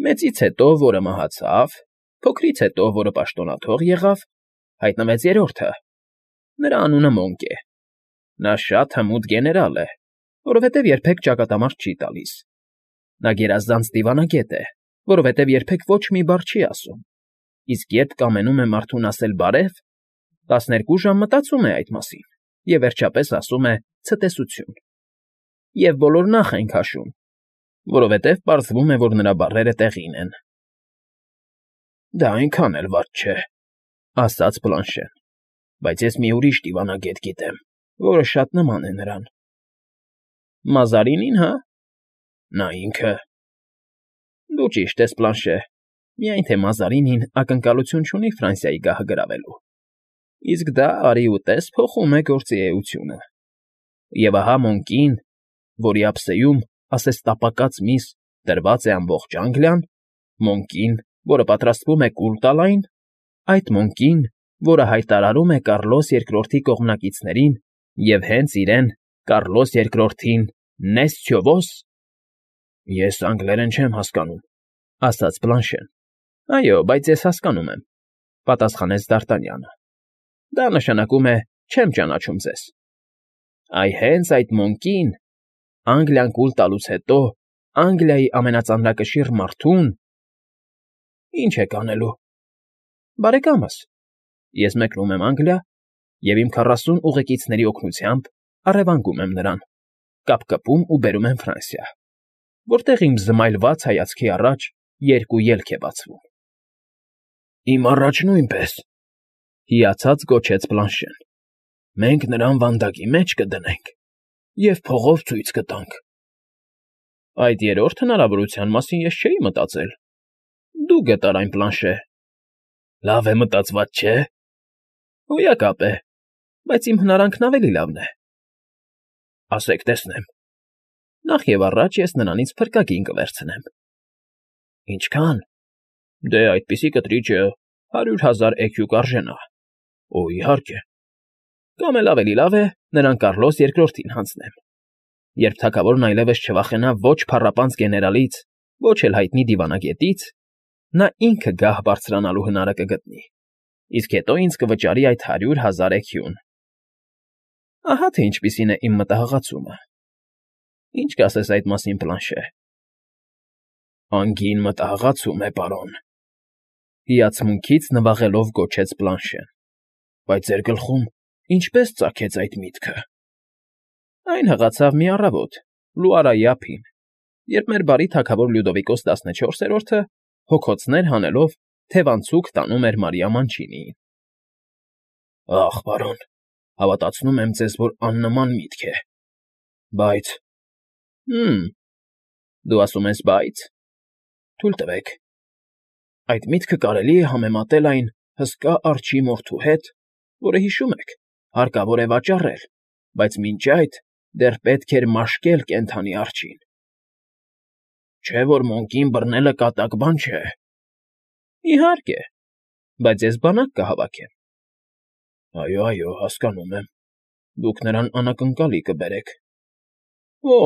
Մեծից հետո, որը մահացավ, փոքրից հետո, որը պաշտոնաթող եղավ, հայտնվեց երրորդը. նրա անունը Մոնկ է։ Նա շատ հմուտ գեներալ է, որովհետև երբեք ճակատամարտ չի տալիս։ Նա գերազանց դիվանագետ է, որովհետև երբեք ոչ մի բառ չի ասում, իսկ երբ կամենում է մարդուն ասել բարև, 12 ժամ մտածում է այդ մասին և վերջապես ասում է ցտեսություն։ Եվ բոլոր նախ են քաշում, որովհետև պարզվում է, որ նրա բառերը տեղին են։ Դա այնքան էլ վատ չէ, ասաց Բլանշեն, բայց ես մի ուրիշ դիվանագետ գիտեմ, որը շատ նման է նրան։ Մազարինին, հա՞։ Նա ինքը։ Դու ճիշտ ես, Բլանշե, միայն թե Մազարինին ակնկալություն չունի Ֆրանսիայի գահը գրավելու, իսկ դա արի ու տես փոխում է գործի էությունը։ Եվ ահա Մոնկին, որի ափսեում, ասես տապակած միս, դրված է ամբողջ Անգլիան, Մոնկին, որը պատրաստվում է կուլ տալ այն, այդ Մոնկին, որը հայտարարում է Կառլոս Երկրորդի կողմնակիցներին և հենց իրեն, Կառլոս Երկրորդին, նեսցյո ոս… Ես անգլերեն չեմ հասկանում, ասաց Բլանշեն։ Այո, բայց ես հասկանում եմ, պատասխանեց Դ'Արտանյանը։ Դա նշանակում է չեմ ճանաչում ձեզ։ Այ հենց այդ Մոնկին, Անգլիան կուլ տալուց հետո Անգլիայի ամենածանրակշիռ մարդուն… Ինչ եք անելու։ Բարեկամս, ես մեկնում եմ Անգլիա և իմ 40 ուղեկիցների օգնությամբ առևանգում եմ նրան, կապկպում ու բերում եմ Ֆրանսիա, որտեղ իմ զմայլված հայացքի առաջ երկու ելք է բացվում։ Իմ առաջ նույնպես, հիացած գոչեց Բլանշեն։ Մենք նրան վանդակի մեջ կդնենք և փողով ցույց կտանք։ Այդ երրորդ հնարավորության մասին ես չէի մտածել։ Դու գտար այն, Բլանշե։ Լավ է մտածված, չէ՞։ Հոյակապ է, բայց իմ հնարանքն ավելի լավն է։ Ասեք տեսնեմ։ Նախ և առաջ ես նրանից փրկագին կվերցնեմ։ Ինչքա՞ն։ Դե, այդպիսի կտրիճը 100,000 էքյու կարժենա։ Օ, իհարկե։ Կամ էլ ավելի լավ է նրան Կառլոս Երկրորդին հանձնեմ։ Երբ թագավորն այլևս չվախենա ոչ փառապանծ գեներալից, ոչ էլ հայտնի դիվանագետից, նա ինքը գահ բարձրանալու հնարը կգտնի, իսկ հետո ինձ կվճարի այդ 100,000 էքյուն։ Ահա թե ինչպիսին է իմ մտահղացումը։ Ինչ կասես այդ մասին, Բլանշե։ Անգին մտահղացում է, պարոն։ Հիացմունքից նվաղելով գոչեց Բլանշեն։ Բայց ձեր գլխում ինչպես ծագեց այդ միտքը։ Այն հղացավ մի առավոտ, Լուարայի ափին, երբ մեր բարի թագավոր Լյուդովիկոս 14-րդը հոգոցներ հանելով թևանցուկ տանում էր Մարիա Մանչինիին։ Ախ, պարոն, հավատացնում եմ ձեզ, որ աննման միտք է։ Բայց… Դու ասում ես բայց… Թույլ տվեք։ Այդ միտքը կարելի է համեմատել այն հսկա արջի մորթու հետ, որը, հիշում եք, հարկավոր է վաճառել, բայց մինչ այդ դեռ պետք էր մաշկել կենդանի արջին։ Չէ՞ որ Մոնկին բռնելը կատակ բան չէ։ Իհարկե, բայց ես բանակ կհավաքեմ։ Այո, հասկանում եմ։ Դուք նրան անակնկալի կբերեք։ Օ,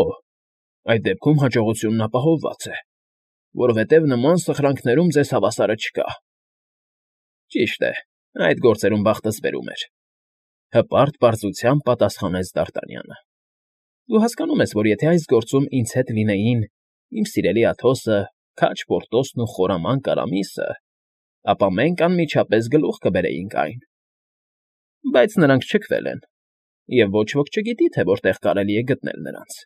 այդ դեպքում հաջողությունն ապահովված է, որովհետև նման սխրանքներում ձեզ հավասարը չկա։ Ճիշտ է, այդ գործերում բախտս բերում էր, հպարտ պարզությամբ պատասխանեց Դ'Արտանյանը։ Դու հասկանում ես, որ եթե այս գործում ինձ հետ լինեին իմ սիրելի Աթոսը, քաջ Պորտոսն ու խորամանկ Արամիսը, ապա մենք անմիջապես գլուխ կբերեինք այն։ Բայց նրանք չքվել են, և ոչ ոք չգիտի, թե որտեղ կարելի է գտնել նրանց։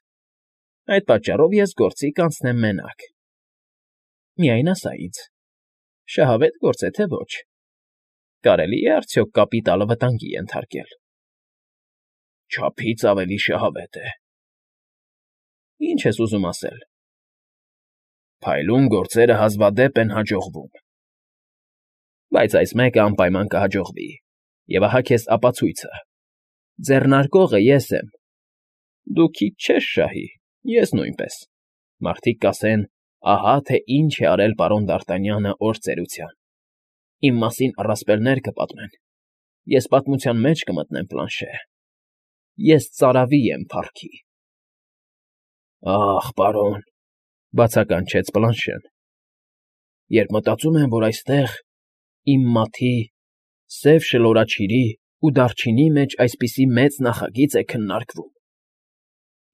Այդ պատճառով ես գործի կանցնեմ մենակ։ Միայն ասա ինձ, շահավետ գործ է, թե ոչ։ Կարելի է արդյոք կապիտալը վտանգի ենթարկել։ Չափից ավելի շահավետ է։ Ինչ ես ուզում ասել։ Փայլուն գործերը հազվադեպ են հաջողվում։ Բայց այս մեկը անպայման կհաջողվի, և ահա քեզ ապացույցը։ Ձեռնարկողը ես եմ։ Դու քիչ չես շահի, ես նույնպես։ Մարդիկ կասեն. ահա թե ինչ է արել պարոն Դ'Արտանյանը օր ծերության։ Իմ մասին առասպելներ կպատմեն։ Ես պատմության մեջ կմտնեմ, Պլանշե։ Ես ծարավի եմ փառքի։ Ախ, պարոն, բացականչեց Պլանշեն։ երբ մտածում եմ, որ այստեղ, իմ մաթի, սև շլորաչիրի ու դարչինի մեջ այսպիսի մեծ նախագիծ է քննարկվում,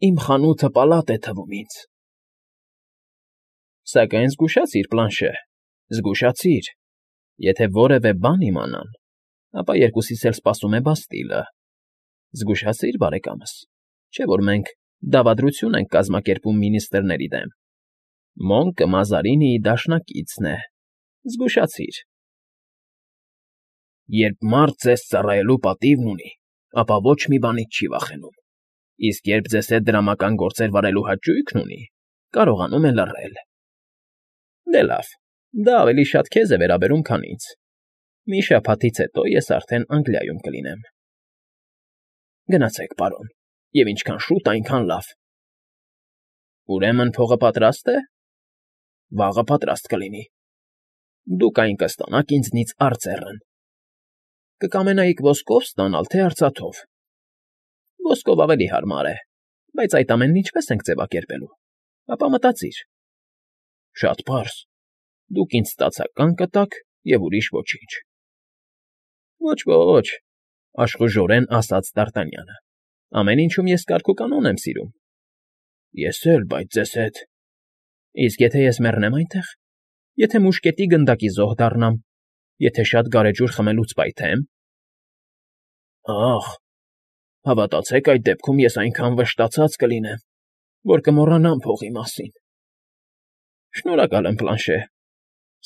իմ խանութը պալատ է թվում ինձ։ Սակայն զգուշացիր, Պլանշե, զգուշացիր, եթե որևէ բան իմանան, ապա երկուսիս էլ սպասում է Բաստիլը։ Զգուշացիր, բարեկամս, չէ՞ որ մենք դավադրություն ենք կազմակերպում մինիստրների դեմ։ Մոնկը Մազարինիի դաշնակիցն է, զգուշացիր։ Երբ մարդ ձեզ ծառայելու պատիվն ունի, ապա ոչ մի բանից չի վախենում, իսկ երբ ձեզ հետ դրամական գործեր վարելու հաճույքն ունի, կարողանում է լռել։ Դե լավ, դա ավելի շատ քեզ է վերաբերում, քան ինձ։ Մի շաբաթից հետո ես արդեն Անգլիայում կլինեմ։ Գնացեք, պարոն, և ինչքան շուտ, այնքան լավ։ Ուրեմն փողը պատրաստ է։ Վաղը պատրաստ կլինի։ Դուք այն կստանաք ինձնից արծեռն։ Կկամենայիք ոսկով ստանալ, թե արծաթով։ Ոսկով ավելի հարմար է, բայց այդ ամենն ինչպես ենք ձևակերպելու։ Ապա մտածիր։ Շատ պարզ։ Դուք ինձ ստացական կտաք և ուրիշ ոչինչ։ Ոչ, աշխուժորեն ասաց Դ'Արտանյանը։ Ամեն ինչում ես կարգ ու կանոն եմ սիրում։ Ես էլ, բայց ձեզ հետ։ Իսկ եթե ես մեռնեմ այնտեղ, եթե մուշկետի գնդակի զոհ դառնամ, եթե շատ գարեջուր խմելուց պայթեմ։ Ախ, հավատացեք, այդ դեպքում ես այնքան վշտացած կլինեմ, որ կմոռանամ փողի մասին։ Շնորհակալ եմ, Պլանշե,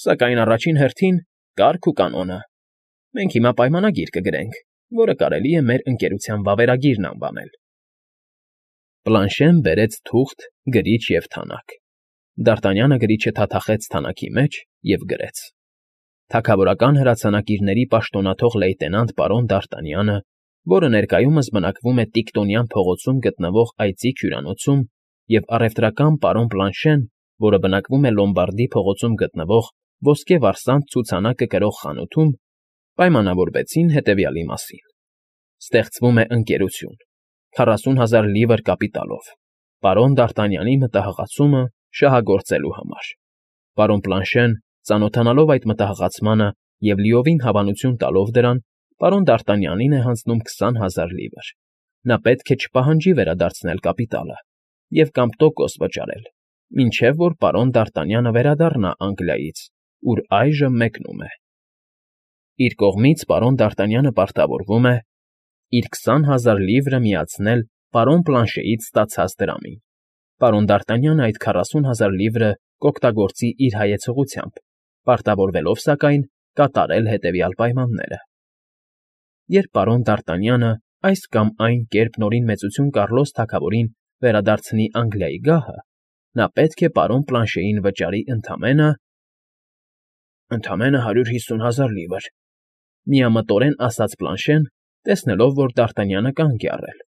սակայն առաջին հերթին կարգ ու կանոնը։ Մենք հիմա պայմանագիր կգրենք, որը կարելի է մեր ընկերության վավերագիրն անվանել։ Պլանշեն բերեց թուղթ, գրիչ և թանակ։ Դ'Արտանյանը գրիչը թաթախեց թանաքի մեջ և գրեց. Թագավորական հրացանակիրների պաշտոնաթող լեյտենանտ պարոն Դ'Արտանյանը, որը ներկայումս բնակվում է Տիկտոնյան փողոցում գտնվող այծիկ հյուրանոցում, և առևտրական պարոն Պլանշեն, որը բնակվում է Լոմբարդի փողոցում գտնվող Ոսկե Վարսանտ ցուցանակը կրող խանութում, պայմանավորվեցին հետևյալի մասին. Ստեղծվում է ընկերություն 40,000 լիվր կապիտալով, պարոն Դ'Արտանյանի մտահղացումը շահագործելու համար։ Պարոն Պլանշեն, ծանոթանալով այդ մտահղացմանը և լիովին հավանություն տալով դրան, պարոն Դ'Արտանյանին է հանձնում 20,000 լիվր։ Նա պետք է չպահանջի վերադարձնել կապիտալը և կամ տոկոս վճարել, մինչև որ պարոն Դ'Արտանյանը վերադառնա Անգլիայից, ուր այժմ մեկնում է։ Իր կողմից պարոն Դ'Արտանյանը պարտավորվում է իր 20,000 լիվրը միացնել պարոն Պլանշեից ստացած դրամին։ Պարոն Դ'Արտանյանը այդ 40,000 լիվրը կօգտագործի իր հայեցողությամբ, պարտավորվելով, սակայն, կատարել հետևյալ պայմանները. Երբ պարոն Դ'Արտանյանը այս կամ այն կերպ նորին մեծություն Կառլոս թագավորին վերադարձնի Անգլիայի գահը, նա պետք է պարոն Պլանշեին վճարի ընդամենը 150,000 լիվր, միամտորեն ասաց Պլանշեն, տեսնելով, որ Դ'Արտանյանը կանգ է առել։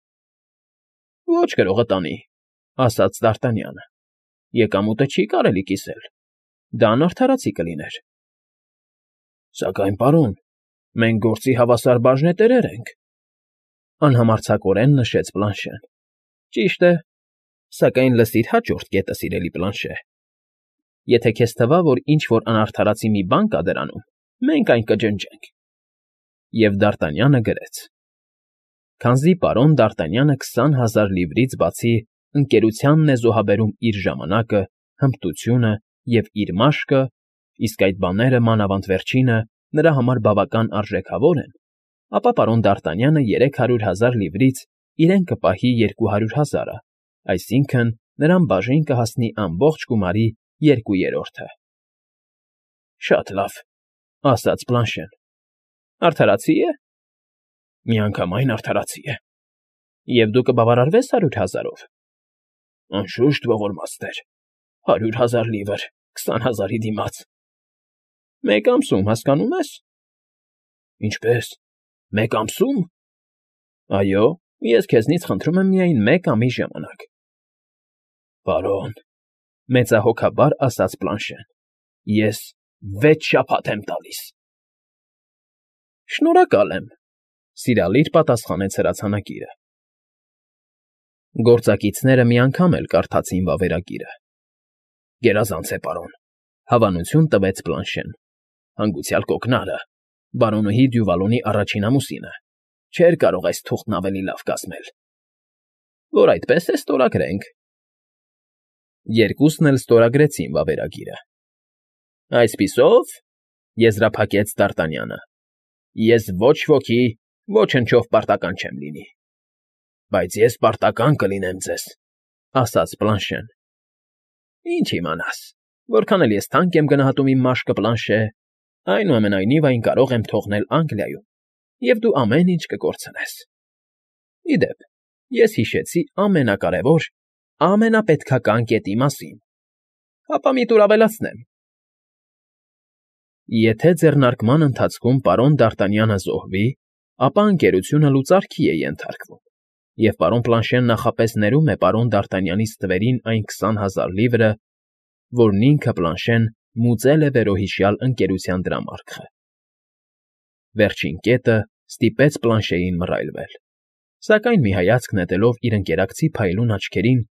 Ոչ գրողը տանի, ասաց Դ'Արտանյանը։ Եկամուտը չի կարելի կիսել։ Դա անարդարացի կլիներ։ Սակայն, պարոն, մենք գործի հավասար բաժնետերեր ենք, անհամարձակորեն նշեց Պլանշեն։ Ճիշտ է, սակայն լսիր հաջորդ կետը, սիրելի Պլանշե։ Եթե քեզ թվա, որ ինչ֊որ անարդարացի մի բան կա դրանում, մենք այն կջնջենք։ Եվ Դ'Արտանյանը գրեց. Քանզի պարոն Դ'Արտանյանը 20,000 լիվրից բացի ընկերությանն է զոհաբերում իր ժամանակը, հմտությունը և իր մաշկը, իսկ այդ բաները, մանավանդ վերջինը, նրա համար բավական արժեքավոր են, ապա պարոն Դ'Արտանյանը 300,000 լիվրից իրեն կպահի 200,000-ը, այսինքն նրան բաժին կհասնի ամբողջ գումարի 2/3-ը։ Շատ լավ, ասաց Պլանշեն։ Արդարացի է։ Միանգամայն արդարացի է։ Եվ դու կբավարարվես 100,000-ով։ Անշուշտ, ողորմածներ, 100,000 լիվր 20,000-ի դիմաց։ Մեկ ամսում, հասկանում ես։ Ինչպե՞ս, մեկ ամսում։ Այո, ես քեզնից խնդրում եմ միայն մեկ ամիս ժամանակ։ Պարոն, մեծահոգաբար ասաց Պլանշեն, ես 6 շաբաթ եմ տալիս։ Շնորհակալ եմ, սիրալիր պատասխանեց հրացանակիրը։ Գործակիցները մի անգամ էլ կարդացին վավերագիրը։ Գերազանց է, պարոն, Հավանություն տվեց Բլանշեն։ Հանգուցյալ կոկնարը, բարոնուհի Դյուվալոնի առաջին ամուսինը, չէր կարող այս թուղթն ավելի լավ կազմել։ Որ այդպես է, ստորագրենք։ Երկուսն էլ ստորագրեցին վավերագիրը։ Այսպիսով, եզրափակեց Դ'Արտանյանը, ես ոչ ոքի, ոչնչով պարտական չեմ լինի։ Բայց ես պարտական կլինեմ ձեզ, ասաց Բլանշեն։ Ինչ իմանաս, որքան էլ ես թանկ եմ գնահատում իմ մաշկը, Բլանշե, այնուամենայնիվ այն կարող եմ թողնել Անգլիայում, և դու ամեն ինչ կկորցնես։ Ի դեպ, ես հիշեցի ամենակարևոր, ամենապետքական կետի մասին։ Հապա մի տուր ավելացնեմ։ Եթե ձեռնարկման ընթացքում պարոն Դ'Արտանյանը զոհվի, ապա ընկերությունը լուծարքի է ենթարկվում, և պարոն Բլանշեն նախապես ներում է պարոն Դ'Արտանյանից թվերին այն 20,000 լիվրը, որն ինքը Բլանշեն մուծել է վերոհիշյալ ընկերության դրամարկղը։ Վերջին կետը ստիպեց Բլանշեին մռայլվել, սակայն մի հայացք նետելով իր ընկերակցի փայլուն աչքերին,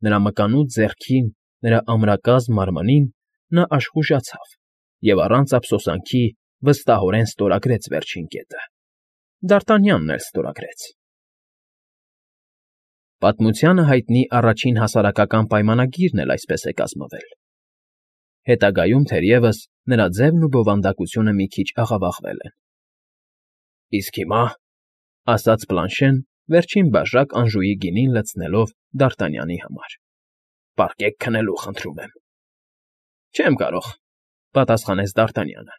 նրա մկանուտ ձեռքին, նրա ամրակազմ մարմնին, նա աշխուժացավ և առանց ափսոսանքի վստահորեն ստորագրեց վերջին կետը։ Դ'Արտանյանն էլ ստորագրեց։ Պատմությանը հայտնի առաջին հասարակական պայմանագիրն էլ այսպես է կազմվել։ Հետագայում, թերևս, նրա ձևն ու բովանդակությունը մի քիչ աղավաղվել են։ Իսկ հիմա, ասաց Բլանշեն, վերջին բաժակ Անժուի գինին լցնելով Դ'Արտանյանի համար, պառկեք քնելու, խնդրում եմ։ Չեմ կարող, պատասխանեց Դ'Արտանյանը,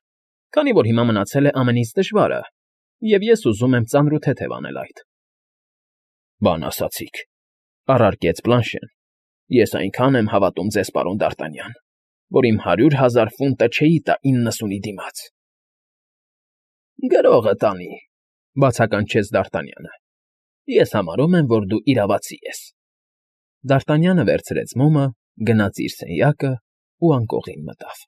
քանի որ հիմա մնացել է ամենից դժվարը, և ես ուզում եմ ծանրութեթև անել այդ։ Բան ասացիք, առարկեց Բլանշեն, ես այնքան եմ հավատում ձեզ, պարոն Դ'Արտանյան, որ իմ 100,000 ֆունտը չէի տա 90-ի դիմաց։ Գրողը տանի, բացականչեց Դ'Արտանյանը, ես համարում եմ, որ դու իրավացի ես։ Դ'Արտանյանը վերցրեց մոմը, գնաց իր սենյակը ու անկողին մտավ։